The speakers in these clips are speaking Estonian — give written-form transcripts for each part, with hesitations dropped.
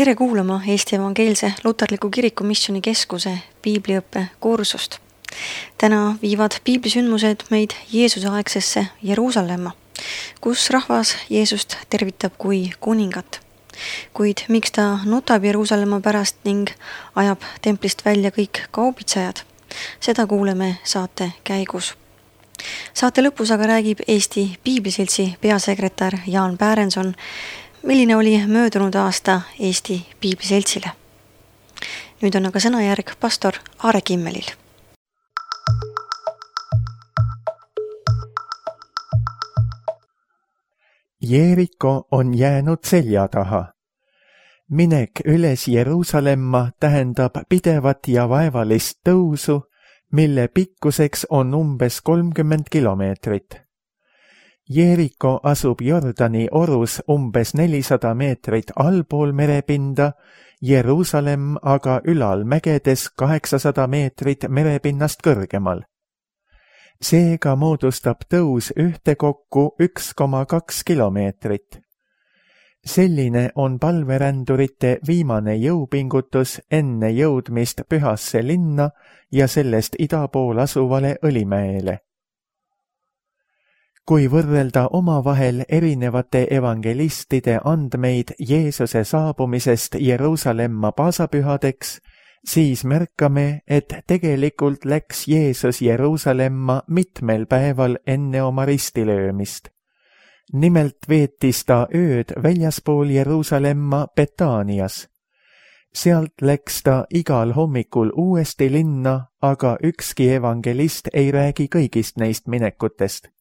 Tere kuulama Eesti Evangeelse Luterliku Kiriku Missioonikeskuse piibliõppe kursust. Täna viivad piiblisündmused meid Jeesuse-aegsesse Jeruusalemma, kus rahvas Jeesust tervitab kui kuningat. Kuid miks ta nutab Jeruusalemma pärast ning ajab templist välja kõik kaubitsejad, seda kuuleme saate käigus. Saate lõpus aga räägib Eesti Piibliseltsi peasekretär Jaan Pärenson, milline oli möödunud aasta Eesti Piibliseltsile. Nüüd on aga sõnajärg pastor Aare Kimmelil. Jeeriko on jäänud selja taha. Minek üles Jeruusalemma tähendab pidevat ja vaevalist tõusu, mille pikkuseks on umbes 30 kilomeetrit. Jeeriko asub Jordani orus umbes 400 meetrit allpool merepinda, Jeruusalemm aga ülal mägedes 800 meetrit merepinnast kõrgemal. Seega moodustab tõus ühtekokku 1,2 kilomeetrit. Selline on palverändurite viimane jõupingutus enne jõudmist Pühasse linna ja sellest ida pool asuvale Õlimäele. Kui võrrelda omavahel erinevate evangelistide andmeid Jeesuse saabumisest Jeruusalemma paasapühadeks, siis märkame, et tegelikult läks Jeesus Jeruusalemma mitmel päeval enne oma ristilöömist. Nimelt veetis ta ööd väljaspool Jeruusalemma Betaanias. Sealt läks ta igal hommikul uuesti linna, aga ükski evangelist ei räägi kõigist neist minekutest.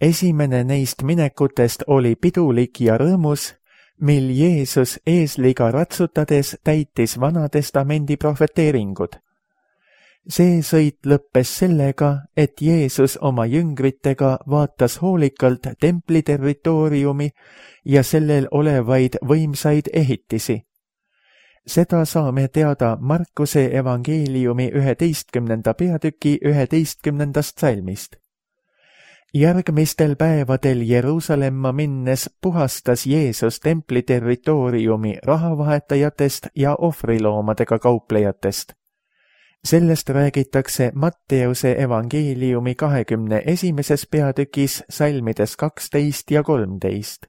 Esimene neist minekutest oli pidulik ja rõõmus, mil Jeesus eesliga ratsutades täitis Vanatestamendi profeteeringud. See sõit lõppes sellega, et Jeesus oma jüngritega vaatas hoolikalt templi territooriumi ja sellel olevaid võimsaid ehitisi. Seda saame teada Markuse evangeeliumi 11. peatüki 11. salmist. Järgmistel päevadel Jeruusalemma minnes puhastas Jeesus templi territooriumi rahavahetajatest ja ohvriloomadega kauplejatest. Sellest räägitakse Matteuse evangeeliumi 21. peatükis salmides 12 ja 13.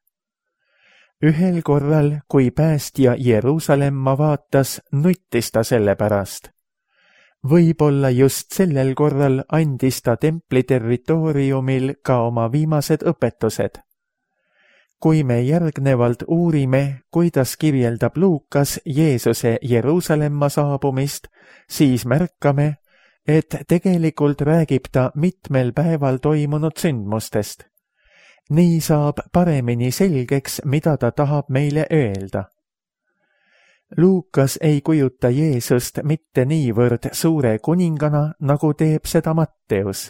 Ühel korral, kui päästja Jeruusalemma vaatas, nuttis ta selle pärast. Võib-olla just sellel korral andis ta templi territooriumil ka oma viimased õpetused. Kui me järgnevalt uurime, kuidas kirjeldab Luukas Jeesuse Jeruusalemma saabumist, siis märkame, et tegelikult räägib ta mitmel päeval toimunud sündmustest. Nii saab paremini selgeks, mida ta tahab meile öelda. Luukas ei kujuta Jeesust mitte niivõrd suure kuningana, nagu teeb seda Matteus.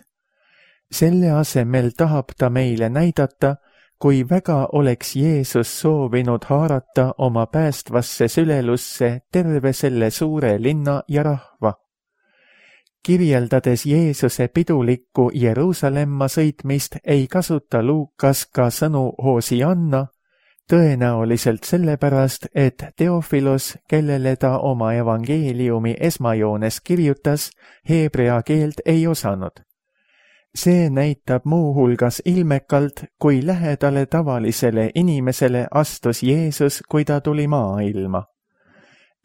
Selle asemel tahab ta meile näidata, kui väga oleks Jeesus soovinud haarata oma päästvasse sülelusse terve selle suure linna ja rahva. Kirjeldades Jeesuse pidulikku Jeruusalemma sõitmist ei kasuta Luukas ka sõnu Hosianna, tõenäoliselt sellepärast, et Teofilos, kellele ta oma evangeeliumi esmajoones kirjutas, heebrea keelt ei osanud. See näitab muuhulgas ilmekalt, kui lähedale tavalisele inimesele astus Jeesus, kui ta tuli maailma.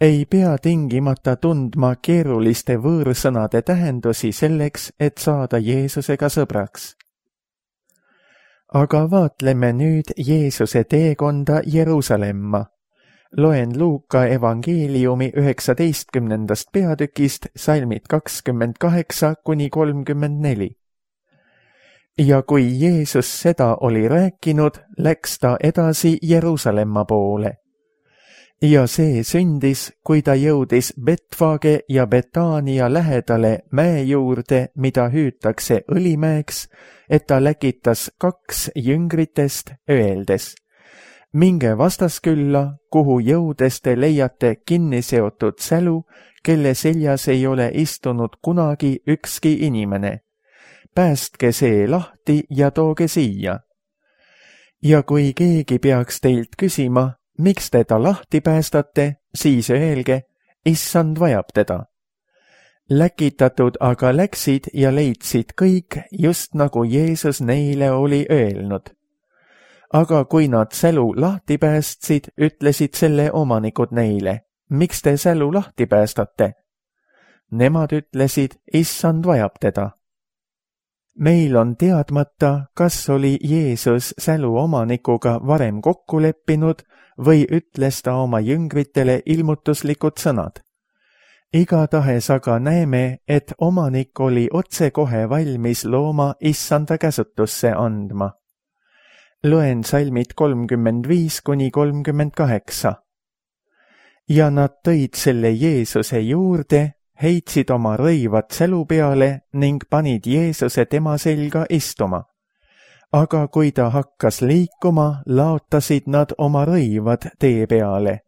Ei pea tingimata tundma keeruliste võõrsõnade tähendusi selleks, et saada Jeesusega sõbraks. Aga vaatleme nüüd Jeesuse teekonda Jeruusalemma. Loen Luuka evangeeliumi 19. peatükist salmid 28–34. Ja kui Jeesus seda oli rääkinud, läks ta edasi Jeruusalemma poole. Ja see sündis, kui ta jõudis Betfage ja Betaania lähedale mäe juurde, mida hüütakse Õlimäeks, et ta läkitas 2 jüngritest, öeldes: minge vastaskülla, kuhu jõudes te leiate kinni seotud sälu, kelle seljas ei ole istunud kunagi ükski inimene. Päästke see lahti ja tooge siia. Ja kui keegi peaks teilt küsima, miks te ta lahti päästate, siis öelge, issand vajab teda. Läkitatud aga läksid ja leidsid kõik, just nagu Jeesus neile oli öelnud. Aga kui nad sälu lahti päästsid, ütlesid selle omanikud neile, miks te sälu lahti päästate? Nemad ütlesid, issand vajab teda. Meil on teadmata, kas oli Jeesus sälu omanikuga varem kokku leppinud või ütles ta oma jüngritele ilmutuslikud sõnad. Igatahes aga näeme, et omanik oli otsekohe valmis looma issanda käsutusse andma. Loen salmid 35–38. Ja nad tõid selle Jeesuse juurde, heitsid oma rõivad sälu peale ning panid Jeesuse tema selga istuma. Aga kui ta hakkas liikuma, laotasid nad oma rõivad tee peale.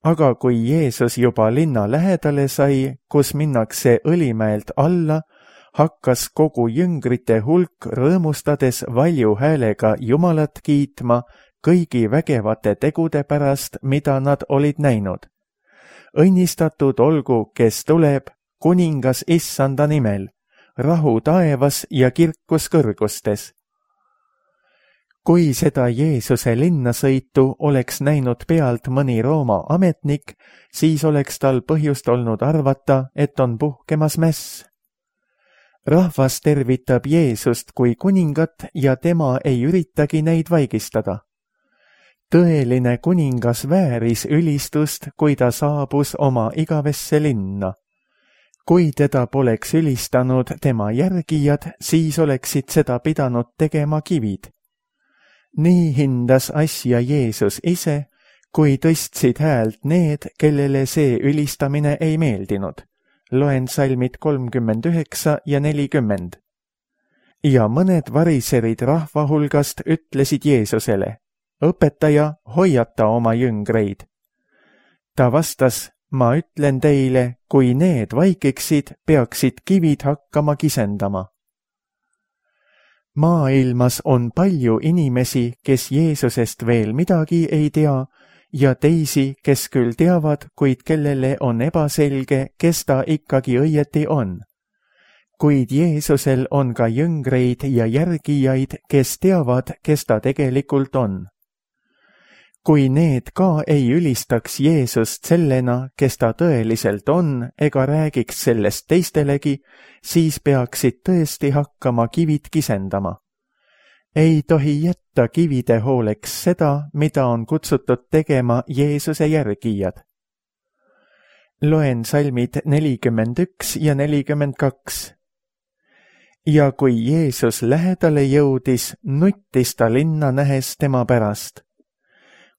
Aga kui Jeesus juba linna lähedale sai, kus minnakse Õlimäelt alla, hakkas kogu jüngrite hulk rõõmustades valju häälega Jumalat kiitma kõigi vägevate tegude pärast, mida nad olid näinud. Õnnistatud olgu, kes tuleb, kuningas issanda nimel, rahu taevas ja kirkus kõrgustes. Kui seda Jeesuse linnasõitu oleks näinud pealt mõni Rooma ametnik, siis oleks tal põhjust olnud arvata, et on puhkemas mäss. Rahvas tervitab Jeesust kui kuningat ja tema ei üritagi neid vaigistada. Tõeline kuningas vääris ülistust, kui ta saabus oma igavesse linna. Kui teda poleks ülistanud tema järgijad, siis oleksid seda pidanud tegema kivid. Nii hindas asja Jeesus ise, kui tõstsid häält need, kellele see ülistamine ei meeldinud. Loen salmid 39 ja 40. Ja mõned variserid rahva hulgast ütlesid Jeesusele, õpetaja, hoiata oma jüngreid. Ta vastas, ma ütlen teile, kui need vaikiksid, peaksid kivid hakkama kisendama. Maailmas on palju inimesi, kes Jeesusest veel midagi ei tea, ja teisi, kes küll teavad, kuid kellele on ebaselge, kes ta ikkagi õieti on. Kuid Jeesusel on ka jüngreid ja järgijaid, kes teavad, kes ta tegelikult on. Kui need ka ei ülistaks Jeesust sellena, kes ta tõeliselt on, ega räägiks sellest teistelegi, siis peaksid tõesti hakkama kivid kisendama. Ei tohi jätta kivide hooleks seda, mida on kutsutud tegema Jeesuse järgijad. Loen salmid 41 ja 42. Ja kui Jeesus lähedale jõudis, nuttis ta linna nähes tema pärast.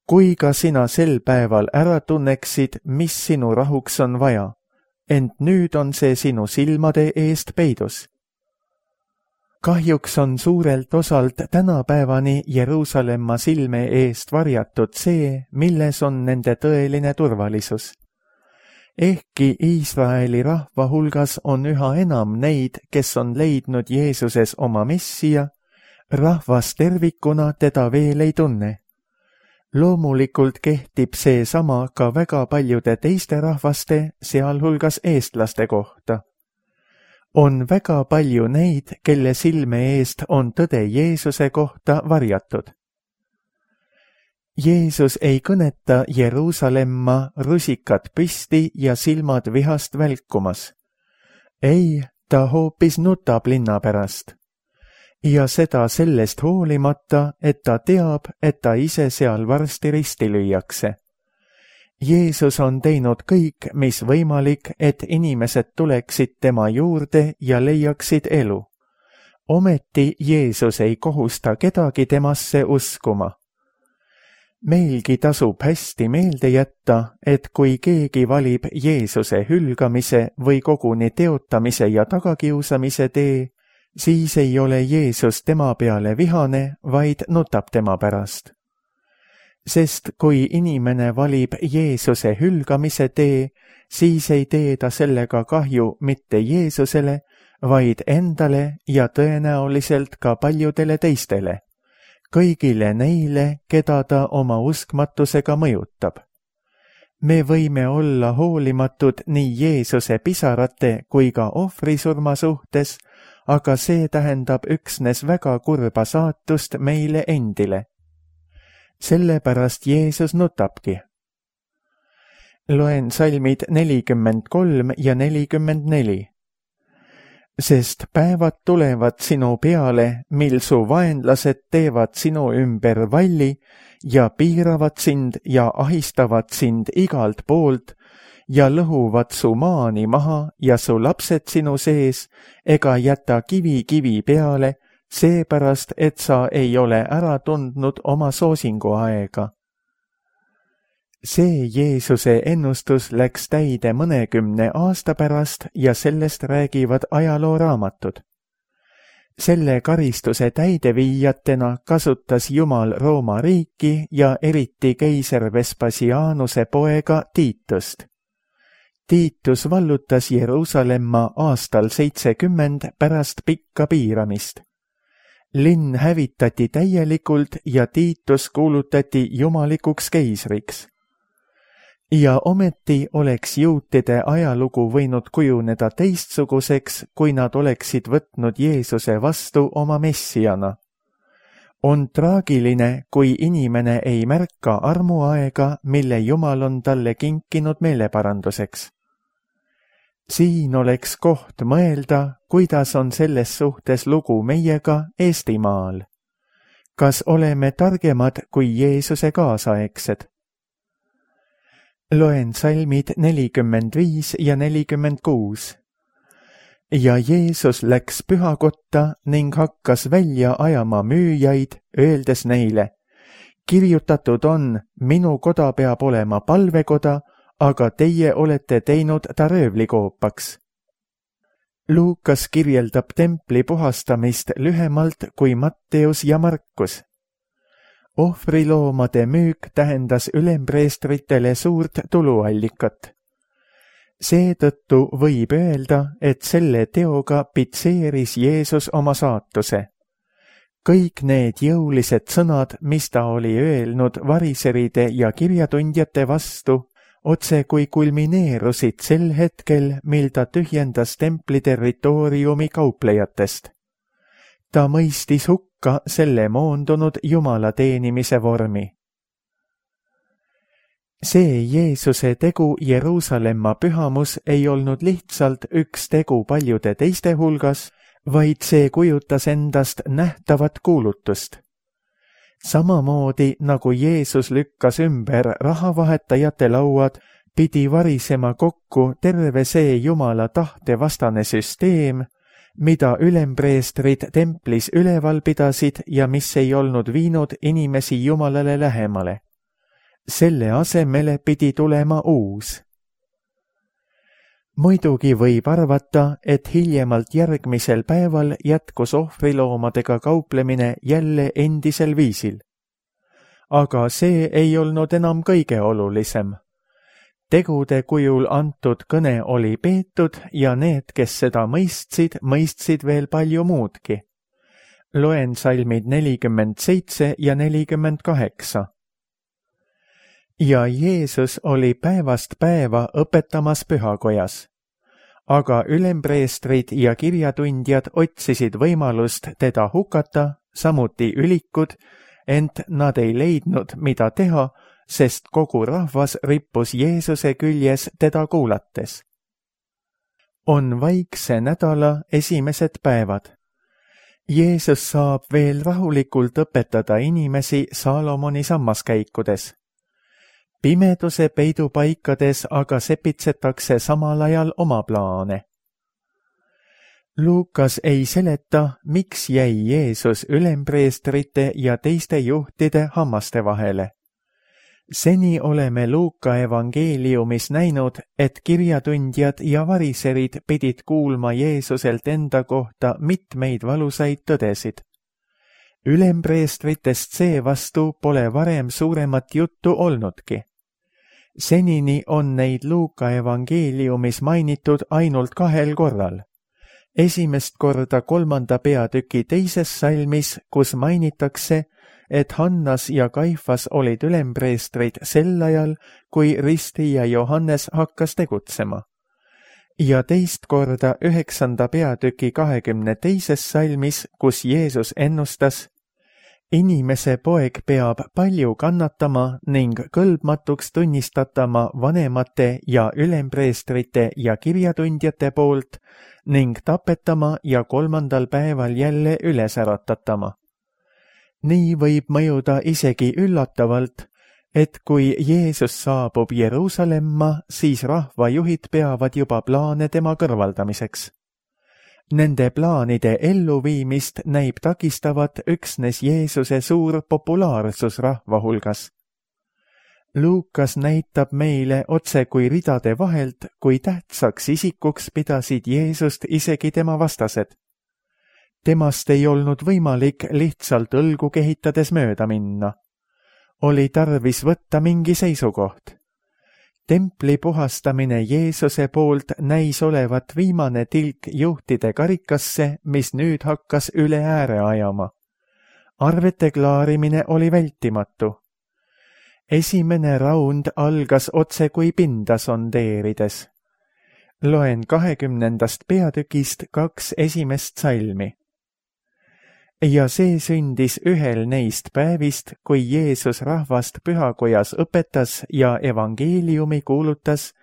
Kui ka sina sel päeval ära tunneksid, mis sinu rahuks on vaja, ent nüüd on see sinu silmade eest peidus. Kahjuks on suurelt osalt tänapäevani Jeruusalemma silme eest varjatud see, milles on nende tõeline turvalisus. Ehkki Iisraeli rahva hulgas on üha enam neid, kes on leidnud Jeesuses oma messija, rahvas tervikuna teda veel ei tunne. Loomulikult kehtib see sama ka väga paljude teiste rahvaste, sealhulgas eestlaste kohta. On väga palju neid, kelle silme eest on tõde Jeesuse kohta varjatud. Jeesus ei kõneta Jeruusalemma rusikad püsti ja silmad vihast välkumas. Ei, ta hoopis nutab linna pärast. Ja seda sellest hoolimata, et ta teab, et ta ise seal varsti risti lüüakse. Jeesus on teinud kõik, mis võimalik, et inimesed tuleksid tema juurde ja leiaksid elu. Ometi Jeesus ei kohusta kedagi temasse uskuma. Meilgi tasub hästi meelde jätta, et kui keegi valib Jeesuse hülgamise või koguni teotamise ja tagakiusamise tee, siis ei ole Jeesus tema peale vihane, vaid nutab tema pärast. Sest kui inimene valib Jeesuse hülgamise tee, siis ei tee ta sellega kahju mitte Jeesusele, vaid endale ja tõenäoliselt ka paljudele teistele. kõigile neile, keda ta oma uskmatusega mõjutab. Me võime olla hoolimatud nii Jeesuse pisarate kui ka ohvrisurma suhtes, aga see tähendab üksnes väga kurba saatust meile endile. Sellepärast Jeesus nutabki. Loen salmid 43 ja 44. Sest päevad tulevad sinu peale, mil su vaenlased teevad sinu ümber valli ja piiravad sind ja ahistavad sind igalt poolt ja lõhuvad su maani maha ja su lapsed sinu sees ega jäta kivi peale, seepärast, et sa ei ole ära tundnud oma soosingu aega. See Jeesuse ennustus läks täide 10 aasta pärast ja sellest räägivad ajalooraamatud. Selle karistuse täideviijatena kasutas Jumal Rooma riiki ja eriti keiser Vespasianuse poega Tiitust. Tiitus vallutas Jeruusalemma aastal 70 pärast pikka piiramist. Linn hävitati täielikult ja Tiitus kuulutati jumalikuks keisriks. Ja ometi oleks juutide ajalugu võinud kujuneda teistsuguseks, kui nad oleksid võtnud Jeesuse vastu oma messiana. On traagiline, kui inimene ei märka armuaega, mille Jumal on talle kinkinud meeleparanduseks. Siin oleks koht mõelda, kuidas on selles suhtes lugu meiega Eestimaal. Kas oleme targemad kui Jeesuse kaasaegsed? Loen salmid 45 ja 46. Ja Jeesus läks pühakotta ning hakkas välja ajama müüjaid, öeldes neile, kirjutatud on, minu koda peab olema palvekoda, aga teie olete teinud ta röövlikoopaks. Luukas kirjeldab templi puhastamist lühemalt kui Matteus ja Markus. Ohvriloomade müük tähendas ülempreestritele suurt tuluallikat. Seetõttu võib öelda, et selle teoga pitseeris Jeesus oma saatuse. Kõik need jõulised sõnad, mis ta oli öelnud variseride ja kirjatundjate vastu, otse kui kulmineerusid sel hetkel, mil ta tühjendas templi territooriumi kauplejatest. Ta mõistis hukka selle moondunud Jumala teenimise vormi. See Jeesuse tegu Jeruusalemma pühamus ei olnud lihtsalt üks tegu paljude teiste hulgas, vaid see kujutas endast nähtavat kuulutust. Samamoodi nagu Jeesus lükkas ümber rahavahetajate lauad, pidi varisema kokku terve see Jumala tahte vastane süsteem, mida ülempreestrid templis üleval pidasid ja mis ei olnud viinud inimesi Jumalale lähemale. Selle asemele pidi tulema uus. Muidugi võib arvata, et hiljemalt järgmisel päeval jätkus ohvriloomadega kauplemine jälle endisel viisil. Aga see ei olnud enam kõige olulisem. Tegude kujul antud kõne oli peetud ja need, kes seda mõistsid veel palju muudki. Loen salmid 47 ja 48. Ja Jeesus oli päevast päeva õpetamas pühakojas. Aga ülempreestrid ja kirjatundjad otsisid võimalust teda hukata, samuti ülikud, ent nad ei leidnud, mida teha, sest kogu rahvas rippus Jeesuse küljes teda kuulates. On vaikse nädala esimesed päevad. Jeesus saab veel rahulikult õpetada inimesi Saalomoni sammaskäikudes. Pimeduse peidupaikades aga sepitsetakse samal ajal oma plaane. Luukas ei seleta, miks jäi Jeesus ülempreestrite ja teiste juhtide hammaste vahele. Seni oleme Luuka evangeeliumis näinud, et kirjatundjad ja variserid pidid kuulma Jeesuselt enda kohta mitmeid valusaid tõdesid. Ülempreestritest seevastu pole varem suuremat juttu olnudki. Senini on neid Luuka evangeeliumis mainitud ainult 2 korral. Esimest korda 3. peatüki 2. salmis, kus mainitakse, et Hannas ja Kaifas olid ülempreestrid sel ajal, kui ristija Johannes hakkas tegutsema. Ja teist korda 9. peatüki 22. salmis, kus Jeesus ennustas: inimese poeg peab palju kannatama ning kõlbmatuks tunnistatama vanemate ja ülempreestrite ja kirjatundjate poolt ning tapetama ja 3. päeval jälle üles äratatama. Nii võib mõjuda isegi üllatavalt, et kui Jeesus saabub Jeruusalemma, siis rahvajuhid peavad juba plaane tema kõrvaldamiseks. Nende plaanide elluviimist näib takistavat üksnes Jeesuse suur populaarsus rahva hulgas. Luukas näitab meile otse kui ridade vahelt, kui tähtsaks isikuks pidasid Jeesust isegi tema vastased. Temast ei olnud võimalik lihtsalt õlgu kehitades mööda minna. Oli tarvis võtta mingi seisukoht. Templi puhastamine Jeesuse poolt näis olevat viimane tilk juhtide karikasse, mis nüüd hakkas üle ääre ajama. Arvete klaarimine oli vältimatu. Esimene raund algas otse kui pinda sondeerides. Loen 20. peatükist 2 esimest salmi. Ja see sündis ühel neist päevist, kui Jeesus rahvast pühakojas õpetas ja evangeeliumi kuulutas,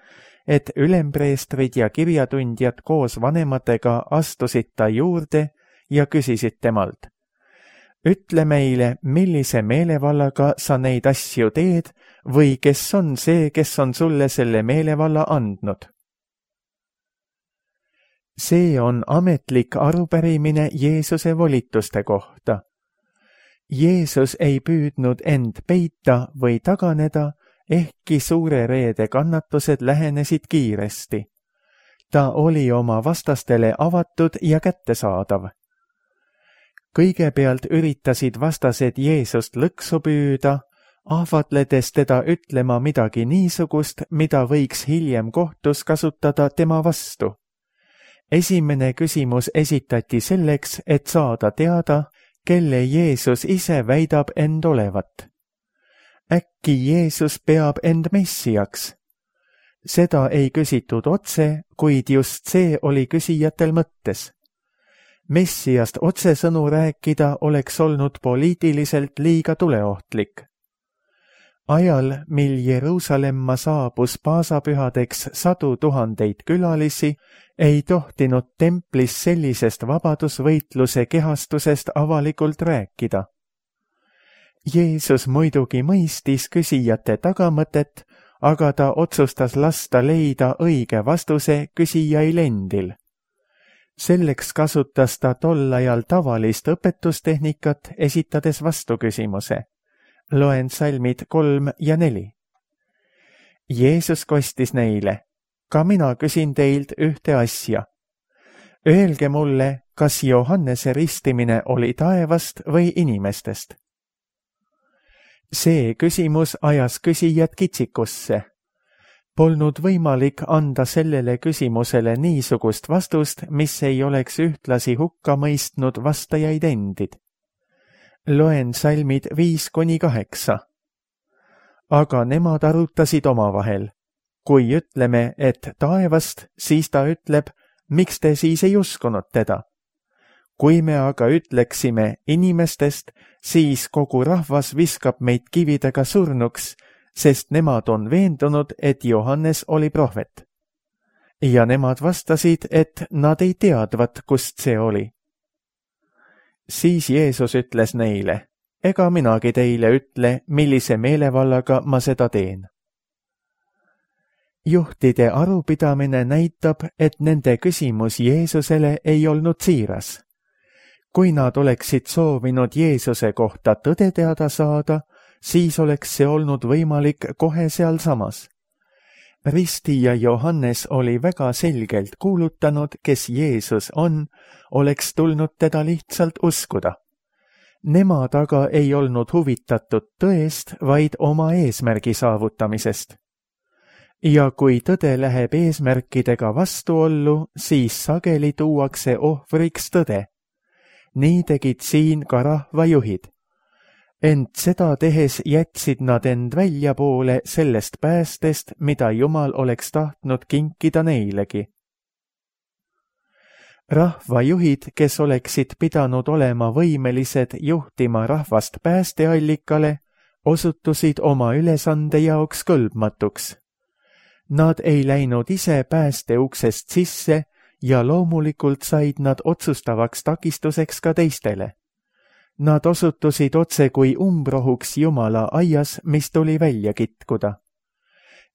et ülempreestrid ja kirjatundjad koos vanematega astusid ta juurde ja küsisid temalt: ütle meile, millise meelevallaga sa neid asju teed või kes on see, kes on sulle selle meelevalla andnud? See on ametlik arupärimine Jeesuse volituste kohta. Jeesus ei püüdnud end peita või taganeda, ehkki suure reede kannatused lähenesid kiiresti. Ta oli oma vastastele avatud ja kättesaadav. Kõigepealt üritasid vastased Jeesust lõksu püüda, ahvatledes teda ütlema midagi niisugust, mida võiks hiljem kohtus kasutada tema vastu. Esimene küsimus esitati selleks, et saada teada, kelle Jeesus ise väidab end olevat. Äkki Jeesus peab end messiaks? Seda ei küsitud otse, kuid just see oli küsijatel mõttes. Messiast otsesõnu rääkida oleks olnud poliitiliselt liiga tuleohtlik. Ajal, mil Jeruusalemma saabus paasapühadeks 100 000 külalisi, ei tohtinud templis sellisest vabadusvõitluse kehastusest avalikult rääkida. Jeesus muidugi mõistis küsijate tagamõtet, aga ta otsustas lasta leida õige vastuse küsijail endil. Selleks kasutas ta tol ajal tavalist õpetustehnikat, esitades vastuküsimuse. Loen salmid 3 ja 4. Jeesus kostis neile: ka mina küsin teilt ühte asja. Öelge mulle, kas Johannese ristimine oli taevast või inimestest? See küsimus ajas küsijad kitsikusse. Polnud võimalik anda sellele küsimusele niisugust vastust, mis ei oleks ühtlasi hukka mõistnud vastajaid endid. Loen salmid 5-8. Aga nemad arutasid omavahel. Kui ütleme, et taevast, siis ta ütleb, miks te siis ei uskunud teda? Kui me aga ütleksime inimestest, siis kogu rahvas viskab meid kividega surnuks, sest nemad on veendunud, et Johannes oli prohvet. Ja nemad vastasid, et nad ei teadvat, kust see oli. Siis Jeesus ütles neile: ega minagi teile ütle, millise meelevallaga ma seda teen. Juhtide arupidamine näitab, et nende küsimus Jeesusele ei olnud siiras. Kui nad oleksid soovinud Jeesuse kohta tõde teada saada, siis oleks see olnud võimalik kohe sealsamas. Ristija Johannes oli väga selgelt kuulutanud, kes Jeesus on, oleks tulnud teda lihtsalt uskuda. Nemad aga ei olnud huvitatud tõest, vaid oma eesmärgi saavutamisest. Ja kui tõde läheb eesmärkidega vastuollu, siis sageli tuuakse ohvriks tõde. Nii tegid siin ka rahvajuhid. Ent seda tehes jätsid nad end väljapoole sellest päästest, mida Jumal oleks tahtnud kinkida neilegi. Rahvajuhid, kes oleksid pidanud olema võimelised juhtima rahvast päästeallikale, osutusid oma ülesande jaoks kõlbmatuks. Nad ei läinud ise päästeuksest sisse ja loomulikult said nad otsustavaks takistuseks ka teistele. Nad osutusid otse kui umbrohuks Jumala aias, mis tuli välja kitkuda.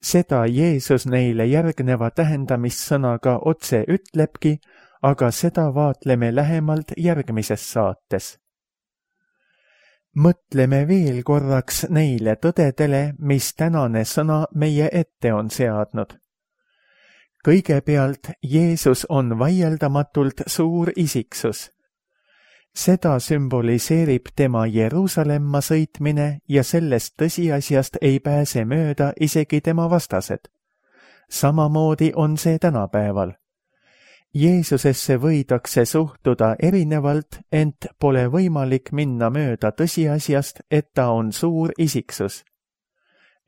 Seda Jeesus neile järgneva tähendamissõnaga otse ütlebki, aga seda vaatleme lähemalt järgmises saates. Mõtleme veel korraks neile tõdedele, mis tänane sõna meie ette on seadnud. Kõigepealt Jeesus on vaieldamatult suur isiksus. Seda sümboliseerib tema Jeruusalemma sõitmine ja sellest tõsiasjast ei pääse mööda isegi tema vastased. Samamoodi on see tänapäeval. Jeesusesse võidakse suhtuda erinevalt, ent pole võimalik minna mööda tõsiasjast, et ta on suur isiksus.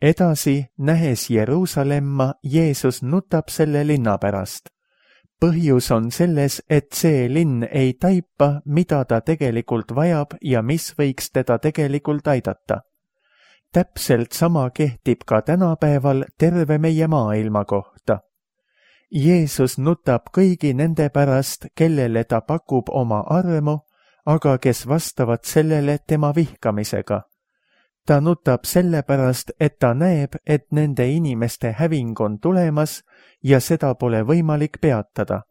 Edasi, nähes Jeruusalemma, Jeesus nutab selle linna pärast. Põhjus on selles, et see linn ei taipa, mida ta tegelikult vajab ja mis võiks teda tegelikult aidata. Täpselt sama kehtib ka tänapäeval terve meie maailma kohta. Jeesus nutab kõigi nende pärast, kellele ta pakub oma armu, aga kes vastavad sellele tema vihkamisega. Ta nutab selle pärast, et ta näeb, et nende inimeste häving on tulemas ja seda pole võimalik peatada.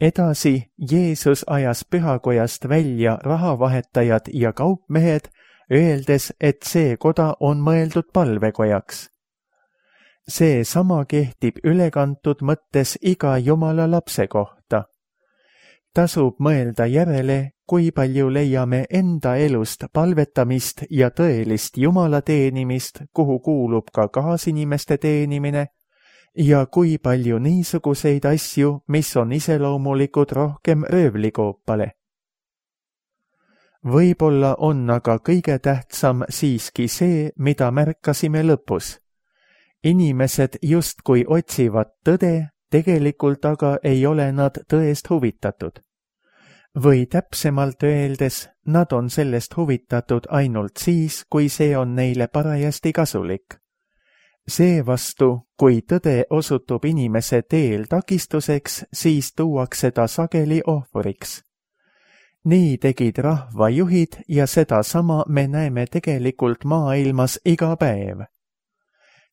Edasi Jeesus ajas pühakojast välja rahavahetajad ja kaupmehed, öeldes, et see koda on mõeldud palvekojaks. See sama kehtib ülekantud mõttes iga Jumala lapse kohta. Tasub mõelda järele, kui palju leiame enda elust palvetamist ja tõelist Jumala teenimist, kuhu kuulub ka kaasinimeste teenimine, ja kui palju niisuguseid asju, mis on iseloomulikud rohkem röövlikoopale. Võib-olla on aga kõige tähtsam siiski see, mida märkasime lõpus. Inimesed justkui otsivad tõde, tegelikult aga ei ole nad tõest huvitatud. Või täpsemalt öeldes, nad on sellest huvitatud ainult siis, kui see on neile parajasti kasulik. Seevastu, kui tõde osutub inimese teel takistuseks, siis tuuakse ta sageli ohvriks. Nii tegid rahvajuhid ja sedasama me näeme tegelikult maailmas iga päev.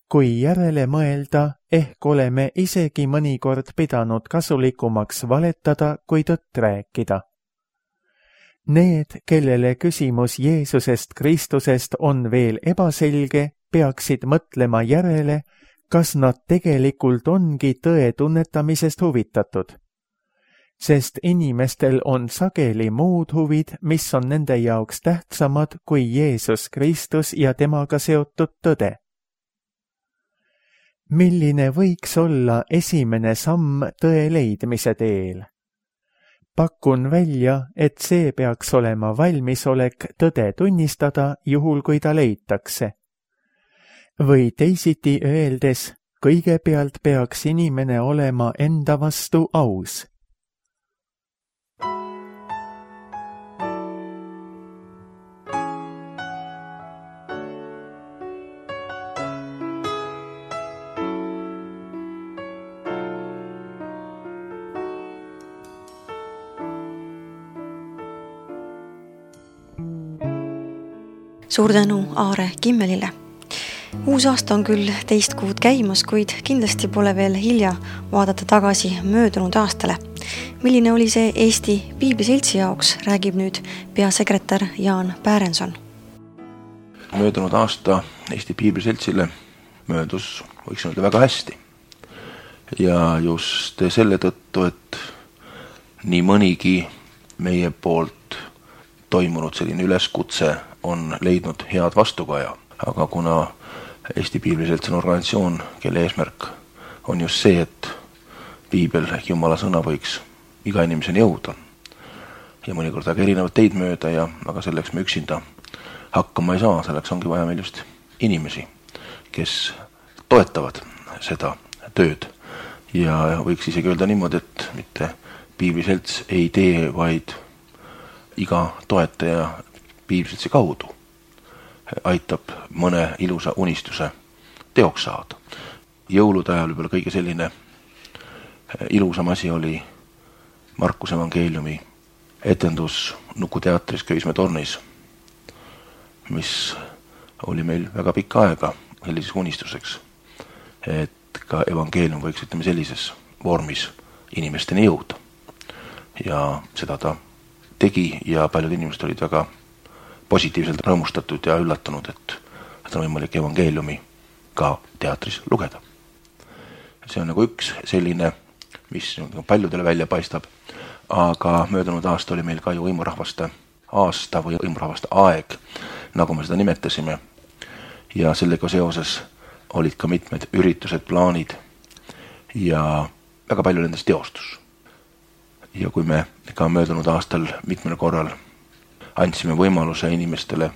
Kui järele mõelda, ehk oleme isegi mõnikord pidanud kasulikumaks valetada, kui tõtt rääkida. Need, kellele küsimus Jeesusest Kristusest on veel ebaselge, peaksid mõtlema järele, kas nad tegelikult ongi tõe tunnetamisest huvitatud. Sest inimestel on sageli muud huvid, mis on nende jaoks tähtsamad kui Jeesus Kristus ja temaga seotud tõde. Milline võiks olla esimene samm tõe leidmise teel? Pakun välja, et see peaks olema valmisolek tõde tunnistada, juhul kui ta leitakse. Või teisiti öeldes, kõigepealt peaks inimene olema enda vastu aus. Suur tänu Aare Kimmelile. Uus aasta on küll teist kuud käimas, kuid kindlasti pole veel hilja vaadata tagasi möödunud aastale. Milline oli see Eesti Piibliseltsi jaoks, räägib nüüd peasekretär Jaan Päärenson. Möödunud aasta Eesti Piibliseltsile möödus, võiks öelda, väga hästi. Ja just selle tõttu, et nii mõnigi meie poolt toimunud selline üleskutse on leidnud head vastukaja. Aga kuna Eesti Piibliselts on organisatsioon, kelle eesmärk on just see, et piibel ehk Jumala sõna võiks iga inimeseni jõuda. Ja mõnikord aga erinevad teid mööda, aga selleks me üksinda hakkama ei saa, selleks ongi vaja meil just inimesi, kes toetavad seda tööd. Ja võiks isegi öelda niimoodi, et mitte Piibliselts ei tee, vaid iga toetaja Piibliseltsi kaudu aitab mõne ilusa unistuse teoks saada. Jõulude ajal võib-olla kõige selline ilusam asi oli Markuse evangeeliumi etendus Nukuteatris Köismäe tornis, mis oli meil väga pikka aega sellises unistuseks, et ka evangeelium võiks, ütleme, sellises vormis inimesteni jõuda. Ja seda ta tegi ja paljud inimesed olid väga positiivselt rõõmustatud ja üllatunud, et on võimalik evangeeliumi ka teatris lugeda. See on nagu üks selline, mis paljudele välja paistab, aga möödunud aasta oli meil ka ju hõimurahvaste aasta või hõimurahvaste aeg, nagu me seda nimetasime. Ja sellega seoses olid ka mitmed üritused, plaanid ja väga palju nendest teostus. Ja kui me ka möödunud aastal mitmel korral andsime võimaluse inimestele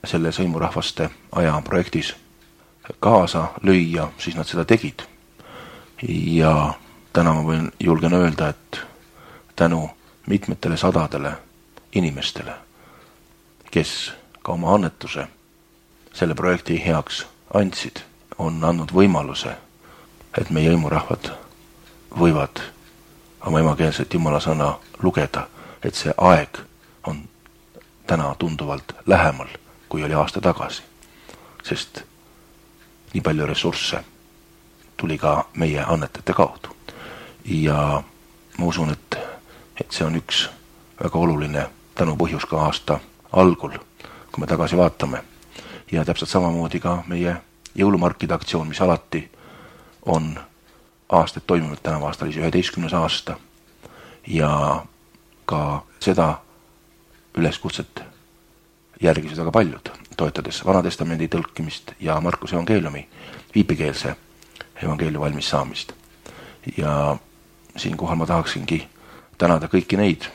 selles hõimurahvaste aja projektis kaasa lüüa, siis nad seda tegid. Ja täna ma võin julgen öelda, et tänu mitmetele sadadele inimestele, kes ka oma annetuse selle projekti heaks andsid, on andnud võimaluse, et meie hõimurahvad võivad oma emakeelset Jumala sõna lugeda, et see aeg on täna tunduvalt lähemal, kui oli aasta tagasi. Sest nii palju ressursse tuli ka meie annetajate kaudu. Ja ma usun, et see on üks väga oluline tänu põhjus ka aasta algul, kui me tagasi vaatame. Ja täpselt samamoodi ka meie jõulumarkide aktsioon, mis alati on aastaid toimunud, tänavu aasta oli 11. aasta. Ja ka seda üleskutset järgisid väga paljud, toetades Vanatestamendi tõlkimist ja Markuse evangeeliumi viipekeelse evangeeliumi valmis saamist. Ja siinkohal ma tahaksingi tänada kõiki neid,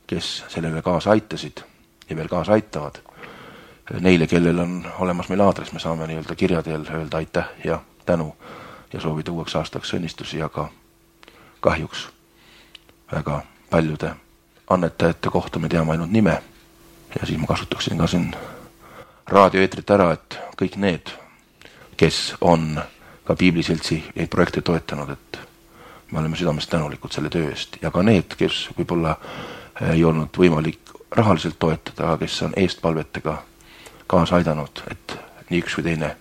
kes sellele kaasa aitasid ja veel kaasa aitavad. Neile, kellel on olemas meil aadress, me saame nii-öelda kirja teel öelda aitäh ja tänu ja soovida uueks aastaks õnnistusi, aga kahjuks väga paljude annetajate kohta me teame ainult nime. Ja siis ma kasutaksin ka siin raadioeetrit ära, et kõik need, kes on ka Piibliseltsi neid projekte toetanud, et me oleme südamest tänulikud selle töö eest. Ja ka need, kes võib-olla ei olnud võimalik rahaliselt toetada, aga kes on eestpalvetega kaasa aidanud, et nii üks või teine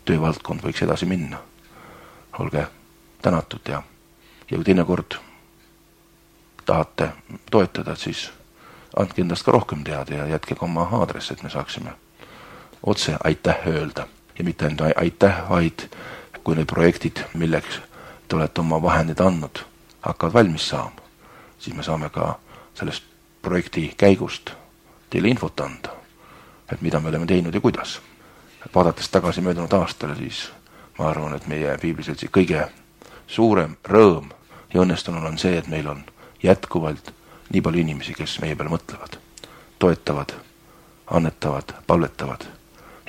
töövaldkond võiks edasi minna. Olge tänatud ja kui teinekord tahate toetada, siis andke endast ka rohkem teada ja jätke ka oma aadress, et me saaksime otse aitäh öelda. Ja mitte ainult aitäh, vaid kui need projektid, milleks te olete oma vahendid andnud, hakkavad valmis saama, siis me saame ka sellest projekti käigust teile infot anda, et mida me oleme teinud ja kuidas. Vaadates tagasi möödunud aastale, siis ma arvan, et meie Piibliseltsi kõige suurem rõõm ja õnnestunul on see, et meil on jätkuvalt nii palju inimesi, kes meie peale mõtlevad, toetavad, annetavad, palvetavad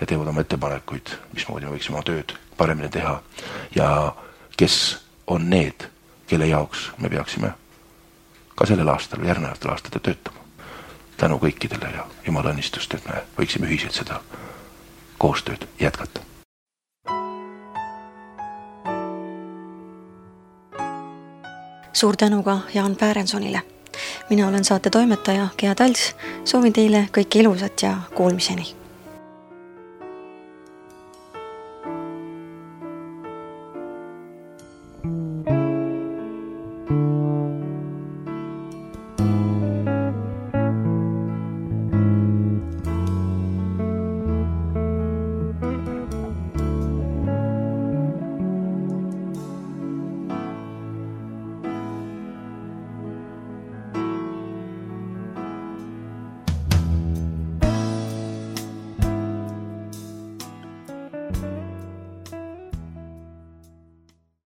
ja teevad oma ettepanekuid, mismoodi me võiksime oma tööd paremini teha ja kes on need, kelle jaoks me peaksime ka sellel aastal või järgnevatel aastatel töötama. Tänu kõikidele ja Jumala õnnistust, et me võiksime ühiselt seda koostööd jätkata. Suur tänu ka Jaan Päärensonile. Mina olen saate toimetaja Gea Talts. Soovin teile kõike ilusat ja kuulmiseni.